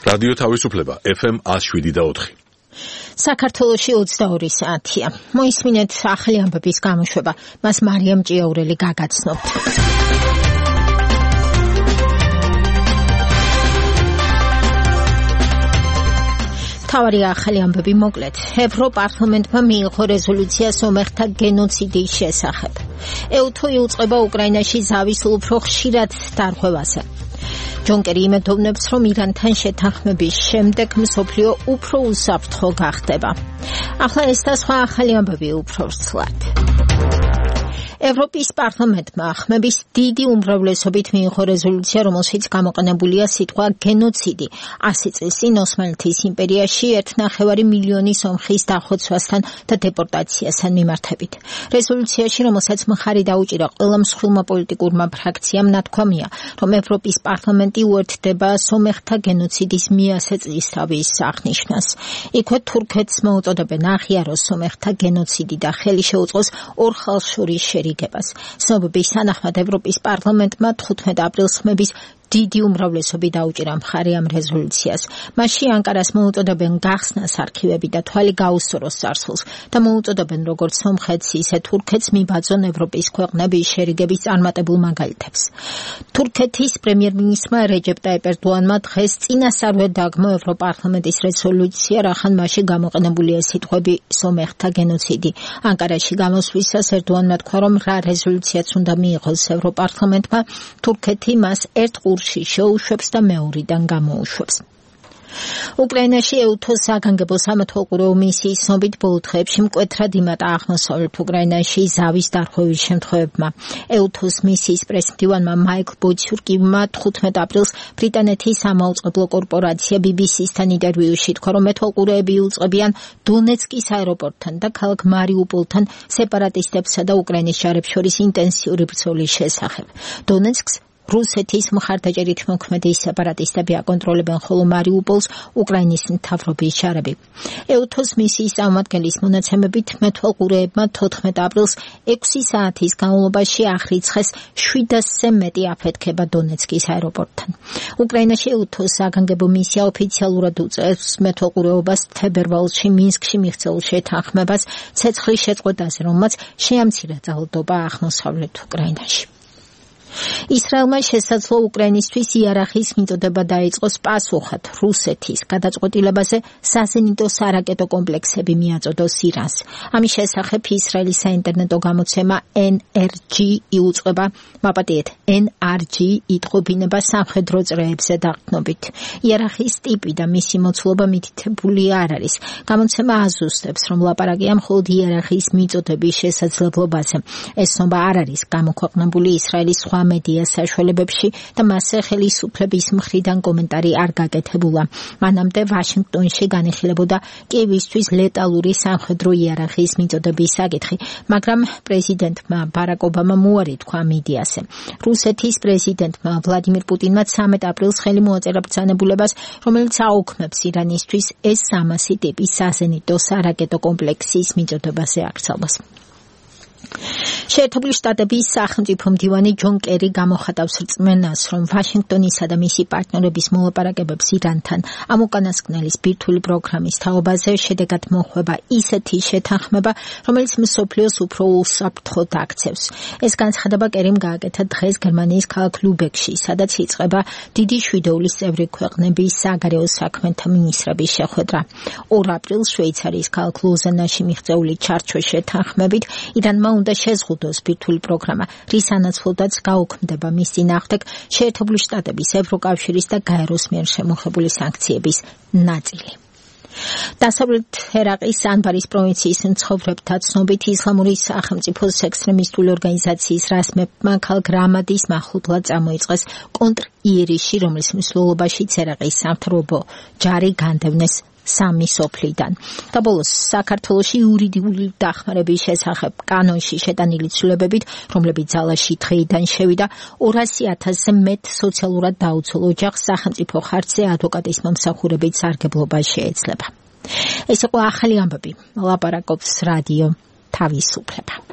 რადიო თავისუფლება FM 107.4. საქართველოში 22 საათია. მოისმინეთ ახალი ამბების გამოშვება. მას მარიამ ჭიაურელი გაგაცნობთ. თავარი ახალი ამბები მოკლედ. ევროპარლამენტმა მიიღო რეზოლუცია სომეხთა გენოციდის შესახებ. ეუთო იუწყება უკრაინაში ზავის უფრო ხშირად დარღვევაზე. ჯონკერი იმედოვნებს, რომ ირანთან შეთანხმების შემდეგ მსოფლიო უფრო უსაფრთხო გახდება. ახლა ეს და სხვა ახალი ამბები უფრო ვრცლად. ევროპის პარლამენტმა ხმების დიდი უმრავლესობით მიიღო რეზოლუცია, რომელშიც გამოყენებულია სიტყვა გენოციდი. 100 წლის წინ ოსმალეთის იმპერიაში 1,5 მილიონი სომხის დახოცვასთან და დეპორტაციასთან მიმართებით. რეზოლუციაში, რომელსაც მხარი დაუჭირა ყველა მსხვილმა პოლიტიკურმა ფრაქციამ, ნათქვამია, რომ ევროპის პარლამენტი უერთდება სომეხთა გენოციდის 100 წლისთავის აღნიშვნას. იქვე თურქეთს მოუწოდებენ აღიაროს სომეხთა გენოციდი და ხელი შეუწყოს ორ ხალხშორის შერიგებას. ცნობების თანახმად ევროპის პარლამენტმა 15 აპრილს ხმების დიდი უმრავლესობით დაუჭირა მხარი ამ რეზოლუციას. მასში ანკარას მოუწოდებენ გახსნას არქივები და თვალი გაუსწოროს წარსულს და მოუწოდებენ როგორც სომხეთს, ისე თურქეთს მიბაძონ ევროპის ქვეყნების შერიგების წარმატებულ მაგალითებს. თურქეთის პრემიერ-მინისტრმა რეჯეპ ტაიპ ერდოანმა დღეს წინასწარვე დაგმო ევროპარლამენტის რეზოლუცია, რახან მასში გამოყენებულია სიტყვები სომეხთა გენოციდი. ანკარაში გამოსვლისას ერდოანმა თქვა, რომ რა რეზოლუციაც უნდა მიიღოს ევროპარლამენტმა, თურქეთი მას ერთ ყურში შეუშვებს და მეორიდან გამოუშვებს. უკრაინაში ეუთოს საგანგებო სამეთვალყურეო მისიის ცნობით ბოლო დღეებში მკვეთრად იმატა აღმოსავლეთ უკრაინაში ზავის დარღვევის შემთხვევებმა. ეუთოს მისიის პრეზიდენტმა მაიკლ ბოჩურკიმმა 15 აპრილს ბრიტანეთის სამაუწყებლო კორპორაცია BBC-სთან ინტერვიუში თქვა, რომ მეთვალყურეები იუწყებიან დონეცკის აეროპორტთან და ქალაქ მარიუპოლთან სეპარატისტებსა და უკრაინის ჯარებს შორის ინტენსიური ბრძოლის შესახებ. დონეცკს რუსეთის მხარდაჭერით მოქმედი სეპარატისტები აკონტროლებენ, ხოლო მარიუპოლს უკრაინის მთავრობის ჯარები. ეუთოს მისიის წარმომადგენლის მონაცემებით მეთვალყურეებმა 14 აპრილს 6 საათის განმავლობაში აღრიცხეს 700-ზე მეტი აფეთქება დონეცკის აეროპორტთან. უკრაინაში ეუთოს საგანგებო მისია ოფიციალურად უწევს მეთვალყურეობას თებერვალში მინსკში მიღწეულ შეთანხმებას ცეცხლის შეწყვეტაზე, რომელმაც შეამცირა ძალადობა აღმოსავლეთ უკრაინაში. ისრაელმა შესაძლო უკრაინისთვის იარაღის მიწოდება დაიწყოს პასუხად რუსეთის გადაწყვეტილებაზე საზენიტო სარაკეტო კომპლექსები მიაწოდოს ირანს. ამის შესახებ ისრაელის საინტერნეტო გამოცემა NRG იუწყება, მაპატიეთ, NRG იტყობინება სამხედრო წრეებზე დაყრდნობით. იარაღის ტიპი და მისი მოცულობა მითითებული არ არის. გამოცემა აზუსტებს, რომ ლაპარაკია მხოლოდ იარაღის მიწოდების შესაძლებლობაზე. ეს ცნობა არ არის გამოქვეყნებული ისრაელის სხვა მედია საშუალებებში და მასზე ხელისუფლების მხრიდან კომენტარი არ გაკეთებულა. მანამდე ვაშინგტონში განიხილებოდა კიევისთვის ლეტალური სამხედრო იარაღის მიწოდების საკითხი, მაგრამ პრეზიდენტმა ბარაკ ობამამ უარი თქვა მედიაზე. რუსეთის პრეზიდენტმა ვლადიმირ პუტინმა 13 აპრილს ხელი მოაწერა ბრძანებულებას, რომელიც აუქმებს ირანისთვის S-300 ტიპის საზენიტო სარაკეტო კომპლექსის მიწოდებაზე აკრძალვას. შეერთებული შტატების სახელმწიფო მდივანი ჯონ კერი გამოხატავს რწმენას, რომ ვაშინგტონისა და მისი პარტნიორების მოლაპარაკებებს ირანთან ამ უკანასკნელის ბირთვული პროგრამის თაობაზე შედეგად მოხვება ისეთი შეთანხმება, რომელიც მსოფლიოს უფრო უსაფრთხოდ აქცევს. ეს განცხადება კერიმ გააკეთა დღეს გერმანიის ქალაქ ლუბეკში, სადაც იწყება დიდი შვიდეულის წევრი ქვეყნების საგარეო საქმეთა მინისტრების შეხვედრა. 2 აპრილს შვეიცარიის ქალაქ ლოზანაში მიღწეული ჩარჩოს შეთანხმებით ირანმა უნდა შეზღუდოს ბირთვული პროგრამა, რის ანაცვლოდაც გაუქმდება მის წინააღმდეგ შეერთებული შტატების, ევროკავშირის და გაეროს მიერ შემოხებული სანქციების ნაწილი. დასავლეთ ერაყის ანბარის პროვინციის მცხოვრებთა ცნობით ისლამური სახელმწიფოს ექსტრემისტული ორგანიზაციის რასმებმა ქალაქ რამადის მახლობლად წამოიწყეს კონტრ-იერიში, რომლის მსვლელობაშიც ერაყის სამთავრობო ჯარი განდევნეს 3 სოფლიდან. და ბოლოს საქართველოში იურიდიული დახმარების შესახებ კანონში შეტანილი ცვლილებებით, რომლებიც ძალაში დღეიდან შევიდა, 200,000-ზე მეტ სოციალურად დაუცველ ოჯახს სახელმწიფო ხარჯზე ადვოკატის მომსახურებით სარგებლობა შეეძლება. ეს იყო ახალი ამბები. ლაპარაკობს რადიო თავისუფლება.